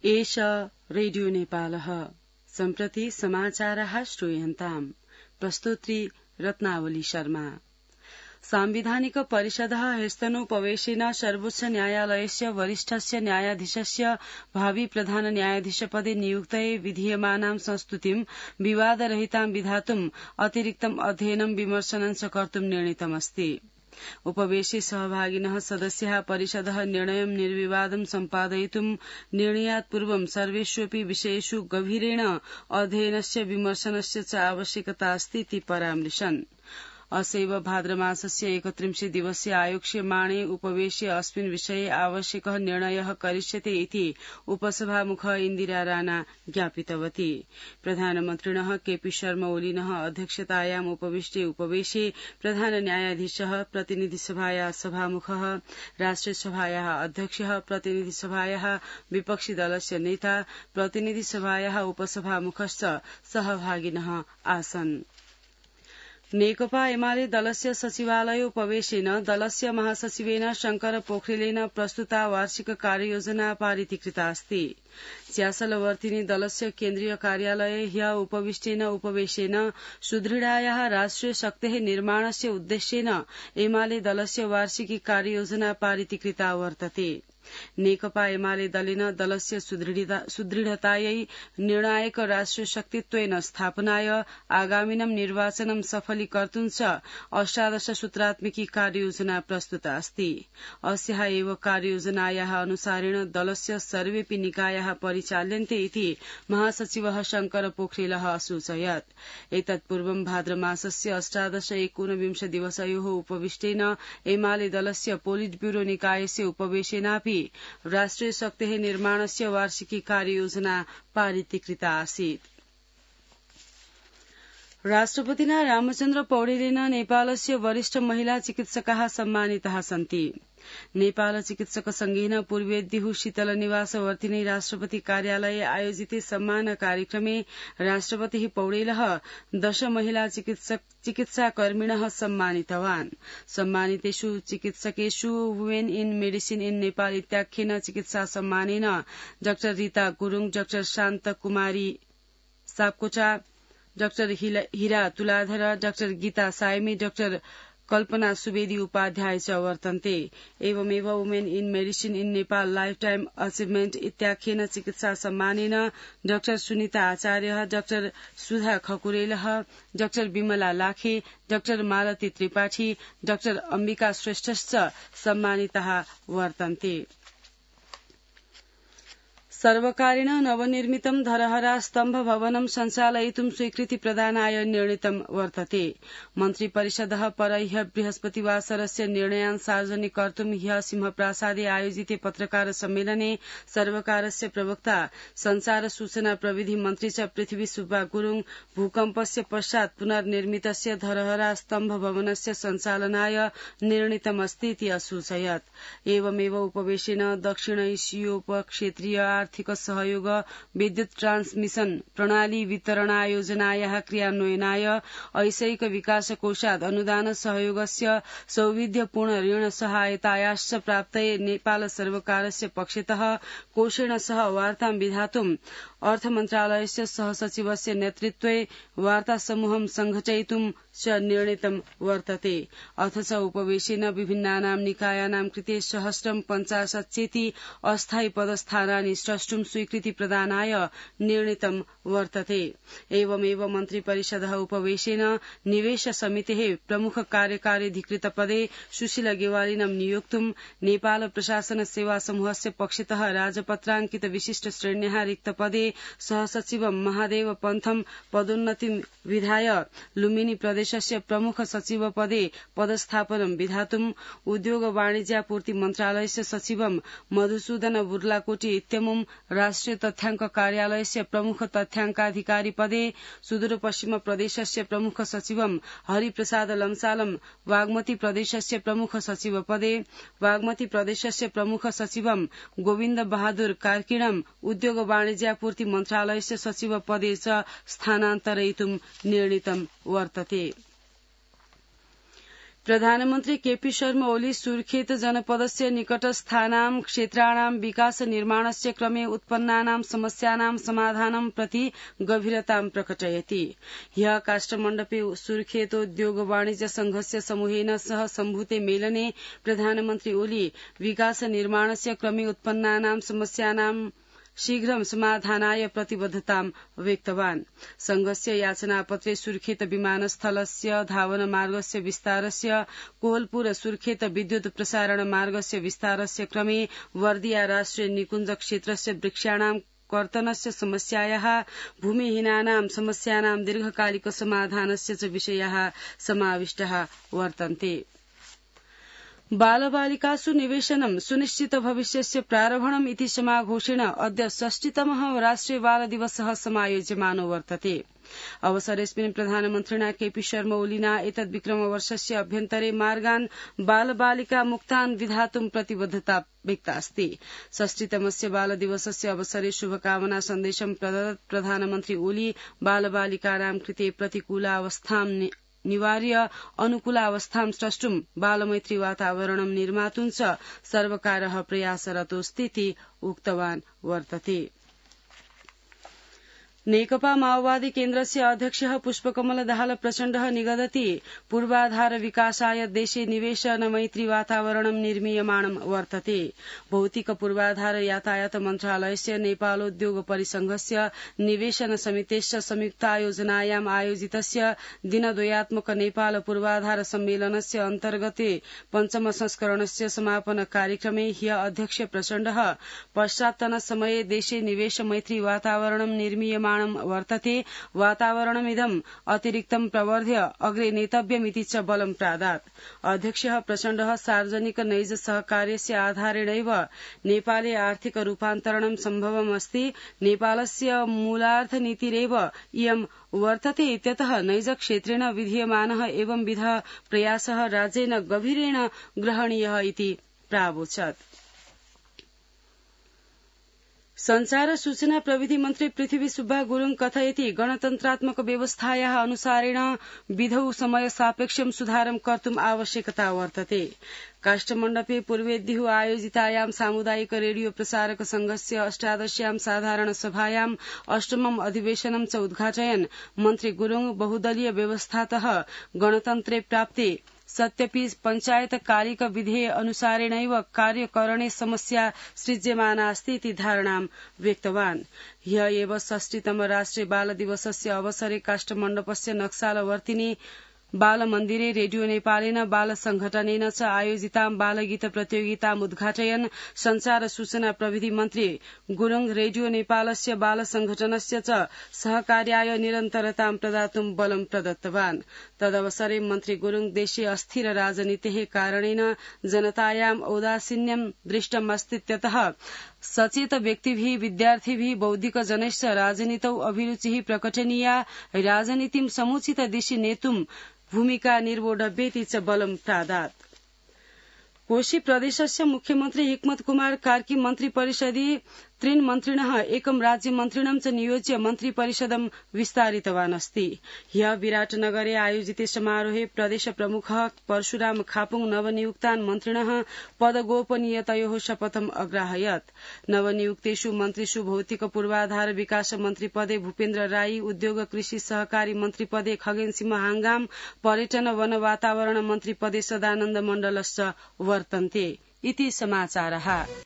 एष रेडियो नेपालः सम्प्रति समाचारः श्रूयन्ताम् प्रस्तोत्री रत्नावली शर्मा। सांविधानिक परिषदः ह्यस्तनोपवेशेन सर्वोच्च न्यायालयस्य वरिष्ठस्य न्यायाधीशस्य भावि प्रधान न्यायाधीशपदे नियुक्तये विधीयमानां संस्तुतिं विवादरहितां विधातुम् अतिरिक्तम् अध्ययनं विमर्शनं च कर्तुं निर्णीतमस्ति। उपवेशे सहभागिनः सदस्याः परिषदः निर्णयं निर्विवादं सम्पादयितुं निर्णयात् पूर्वं सर्वेष्वपि विषयेषु गभीरेण अध्ययनस्य विमर्शनस्य च आवश्यकता अस्ति इति परामृशन्। असैव भाद्रमासस्य 31 दिवसे आयोक्ष्यमाणे उपवेशे अस्मिन् विषये आवश्यकः निर्णयः करिष्यते इति उपसभामुखः इन्दिरा राणा ज्ञापितवती। प्रधानमन्त्रिणः केपी शर्मा ओलीनः अध्यक्षतायाम् उपविष्टे उपवेशे प्रधान न्यायाधीशः, प्रतिनिधिसभायाः सभामुखः, राष्ट्रियसभायाः अध्यक्षः, प्रतिनिधिसभायाः विपक्षी दलस्य नेता, प्रतिनिधिसभायाः उपसभामुखश्च सहभागिनः आसन्। नेकपा एमाले दलस्य सचिवालयोपवेशेन दलस्य महासचिवेन शंकर पोखरेलेन प्रस्तुता वार्षिक कार्ययोजना पारितीकृता अस्ति। च्यासलवर्तिनी दलस्य केन्द्रीय कार्यालये ह्य उपविष्टेन उपवेशेन सुदृढायाः राष्ट्रिय शक्तेः निर्माणस्य उद्देश्येन एमाले दलस्य वार्षिकी कार्ययोजना पारितीकृता वर्तते। नेकपा एमाले दलेन दलस्य सुदृढतायै निर्णायक राष्ट्रिय शक्तित्वेन स्थापनाय आगामिनं निर्वाचनं सफलीकर्तुं च अष्टादश सूत्रात्मिकी कार्ययोजना प्रस्तुता अस्ति। अस्याः एव कार्ययोजनायाः अनुसारेण दलस्य सर्वेऽपि निकायाः परिचाल्यन्ते इति महासचिवः शंकर पोखरेलः असूचयत्। एतत्पूर्वं भाद्रमासस्य 18-19 दिवसयोः उपविष्टेन एमाले दलस्य पोलिट ब्यूरो निकायस्य उपवेशेनापि राष्ट्रिय शक्तेः निर्माणस्य वार्षिकी कार्ययोजना पारितीकृता आसीत्। राष्ट्रपतिना रामचन्द्र पौडेलेन नेपालस्य वरिष्ठ महिला चिकित्सकाः सम्मानिताः सन्ति। नेपाल चिकित्सक संघेन पूर्वेद्युः शीतल निवासवर्तिनी राष्ट्रपति कार्यालये आयोजिते सम्मान कार्यक्रमे राष्ट्रपतिः पौडेलः 10 महिला चिकित्साकर्मिणः सम्मानितवान्। सम्मानितेषु चिकित्सकेषु women in medicine in Nepal इत्याख्येन चिकित्सा सम्मानेन doctor Rita Gurung, doctor Shanta Kumari Sapkota, doctor Hira Tuladhar, doctor Gita Sayami, doctor Kalpana Subedi Upadhyay च वर्तन्ते। एवमेव women in medicine in Nepal life time achievement इत्याख्येन चिकित्सा सम्मानेन डाक्टर सुनिता आचार्य, डाक्टर सुधा खकुरेलः, doctor Bimala Lakhe, doctor Malati Tripathi, doctor Ambika श्रेष्ठश्च सम्मानिताः वर्तन्ते। सर्वकारेण नवनिर्मितं धरहरा स्तम्भ भवनं सञ्चालयितुं स्वीकृति प्रदानाय निर्णीतं वर्तते। मन्त्रिपरिषदः परह्य बृहस्पतिवासरस्य निर्णयान् सार्वजनिक कर्तुं ह्यः सिंहप्रासादे आयोजिते पत्रकार सम्मेलने सर्वकारस्य प्रवक्ता संचार सूचना प्रविधि मन्त्री च पृथ्वी सुब्बा गुरुङ भूकम्पस्य पश्चात् पुनर्निर्मितस्य धरहरा स्तम्भ भवनस्य सञ्चालनाय निर्णीतमस्ति इति असूचयत्। एवमेव उपवेशेन दक्षिण एशियोपक्षेत्रीय आर्थिक सहयोग विद्युत ट्रान्समिशन प्रणाली वितरणायोजनायाः क्रियान्वयनाय ऐशैक विकास कोषात् अनुदान सहयोगस्य सौविध्यपूर्ण ऋण सहायतायाश्च प्राप्तये नेपाल सर्वकारस्य पक्षतः कोषेण सह वार्तां विधातुं अर्थमन्त्रालयस्य सहसचिवस्य नेतृत्वे वार्ता समूहं संघटयितुं च निर्णीतं वर्तते। अथ च उपवेशेन विभिन्नानां निकायानां कृते 150 चेति अस्थायी पदस्थानानि स्रष्टुं स्वीकृति प्रदानाय निर्णीतं वर्तते। एवमेव मन्त्रिपरिषदः उपवेशेन निवेश समितेः प्रमुख कार्यकार्यधिकृत पदे सुशील गेवालिनं नियोक्तुं नेपाल प्रशासन सेवा समूहस्य पक्षतः राजपत्राङ्कित विशिष्ट श्रेण्याः रिक्त पदे सहसचिव महादेव पन्थम पदोन्नतिं विधाय लुम्बिनी प्रदेशस्य प्रमुख सचिव पदे पदस्थापनं विधातुं उद्योग वाणिज्यापूर्ति मन्त्रालयस्य सचिवं मधुसूदन बुर्लाकोटी इत्यमुं राष्ट्रिय तथ्याङ्क कार्यालयस्य प्रमुख तथ्याङ्काधिकारी पदे सुदूरपश्चिम प्रदेशस्य प्रमुख सचिवं हरिप्रसाद लम्सालम बागमती प्रदेशस्य प्रमुख सचिव पदे बागमती प्रदेशस्य प्रमुख सचिवं गोविन्द बहादुर कार्कीणं उद्योग वाणिज्यापूर्ति मन्त्रालयस्य सचिव पदे च स्थानान्तरयितुं निर्णीतं वर्तते। प्रधानमन्त्री केपी शर्मा ओली सुर्खेत जनपदस्य निकटस्थानां क्षेत्राणां विकास निर्माणस्य क्रमे उत्पन्नानां समस्यानां समाधानं प्रति गभीरतां प्रकटयति। ह्यः काष्ठमण्डपे सुर्खेतोद्योग वाणिज्य संघस्य समूहेन सह सम्भूते मेलने प्रधानमन्त्री ओली विकास निर्माणस्य क्रमे उत्पन्नानां समस्यानां शीघ्रं समाधानाय प्रतिबद्धतां व्यक्तवान्। संघस्य याचनापत्रे सुर्खेत विमानस्थलस्य धावनमार्गस्य विस्तारस्य कोहलपुर सुर्खेत विद्युत प्रसारण मार्गस्य विस्तारस्य क्रमे वर्दिया राष्ट्रिय निकुञ्ज क्षेत्रस्य वृक्षाणां कर्तनस्य समस्यायाः भूमिहीनानां समस्यानां दीर्घकालिक समाधानस्य च विषयाः समाविष्टाः वर्तन्ते। बालबालिकासु निवेशनं सुनिश्चित भविष्यस्य प्रारम्भणम् इति समाघोषेण अद्य 60तमः राष्ट्रिय बाल दिवसः समायोज्यमानो वर्तते। अवसरेऽस्मिन् प्रधानमन्त्रिणा केपी शर्मा ओलिना एतद् विक्रमवर्षस्य अभ्यन्तरे मार्गान् बालबालिका मुक्तान् विधातुं प्रतिबद्धता व्यक्तास्ति। 60तमस्य बालदिवसस्य अवसरे शुभकामना सन्देशं प्रदत्त प्रधानमन्त्री ओली बालबालिकानां कृते प्रतिकूलावस्थां निवार्य अनुकूलावस्थां स्रष्टुं बालमैत्री वातावरणं निर्मातुं च सर्वकारः प्रयासरतोऽस्तीति उक्तवान् वर्तते। नेकपा माओवादी केन्द्रस्य अध्यक्षः पुष्पकमल दाहाल प्रचण्डः निगदति पूर्वाधार विकासाय देशे निवेशन मैत्री वातावरणं निर्मीयमाणं वर्तते। भौतिक पूर्वाधार यातायात मन्त्रालयस्य नेपालोद्योग परिसंघस्य निवेशन समितेश्च संयुक्तायोजनायाम् आयोजितस्य दिनद्वयात्मक नेपाल पूर्वाधार सम्मेलनस्य अन्तर्गते पञ्चम संस्करणस्य समापन कार्यक्रमे ह्यः अध्यक्ष प्रचण्डः पश्चात्तनसमये देशे निवेश मैत्री वातावरणं निर्मीयमाणं वर्तते। वातावरणमिदम् अतिरिक्तं प्रवर्ध्य अग्रे नेतव्यमिति च बलं प्रादात्। अध्यक्षः प्रचण्डः सार्वजनिक नैज सहकार्यस्य आधारेणैव नेपाले आर्थिक रूपान्तरणं सम्भवमस्ति। नेपालस्य मूलार्थनीतिरेव इयं वर्तते इत्यतः नैज क्षेत्रेण विधीयमानः एवंविधः प्रयासः राज्येन गभीरेण ग्रहणीयः इति प्रावोचत्। संचार सूचना प्रविधि मन्त्री पृथ्वी सुब्बा गुरुङ कथयति गणतन्त्रात्मक व्यवस्थायाः अनुसारेण विधौ समय सापेक्षं सुधारं कर्तुम् आवश्यकता वर्तते। काष्ठमण्डपे पूर्वेद्युः आयोजितायां सामुदायिक रेडियो प्रसारक संघस्य 18 साधारण सभायां 8मं अधिवेशनं च उद्घाटयन् मन्त्री गुरुङ बहुदलीय व्यवस्थातः गणतन्त्रे प्राप्ते सत्यपि पञ्चायतकालिक विधेय अनुसारेणैव कार्यकरणे समस्या सृज्यमानास्ति इति धारणां व्यक्तवान्। ह्यः एव 60तम राष्ट्रिय बाल दिवसस्य अवसरे काष्ठमण्डपस्य नक्सालवर्तिनी बालमन्दिरे रेडियो नेपालेन बाल संघटनेन च आयोजितां बालगीत प्रतियोगिताम् उद्घाटयन् संचार सूचना प्रविधि मन्त्री गुरुङ रेडियो नेपालस्य बाल संघटनस्य च सहकार्याय निरन्तरतां प्रदातुं बलं प्रदत्तवान्। तदवसरे मन्त्री गुरुङ देशे अस्थिर राजनीतेः कारणेन जनतायाम् औदासीन्यं दृष्टम् अस्तीत्यतः सचेत व्यक्तिभिः विद्यार्थिभिः बौद्धिक जनैश्च राजनीतौ अभिरुचिः प्रकटनीया राजनीतिं समुचित दिशि नेतुं भूमिका निर्वोढव्येति च बलं प्रादात्। कोशी प्रदेशस्य मुख्यमन्त्री हिक्मत कुमार कार्की मन्त्रिपरिषदि 3 मन्त्रिणः एकं राज्यमन्त्रिणं च नियोज्य मन्त्रिपरिषदं विस्तारितवान् अस्ति। ह्यः विराटनगरे आयोजिते समारोहे प्रदेश प्रमुखः परशुराम खापुङ नवनियुक्तान् मन्त्रिणः पदगोपनीयतयोः शपथम् अग्राहयत्। नवनियुक्तेषु मन्त्रिषु भौतिक पूर्वाधार विकास मन्त्रिपदे भूपेन्द्र राई, उद्योग कृषि सहकारी मन्त्रिपदे खगेन सिंह हांगाम, पर्यटन वन वातावरण मन्त्रिपदे सदानन्द मण्डलश्च वर्तन्ते इति समाचारः।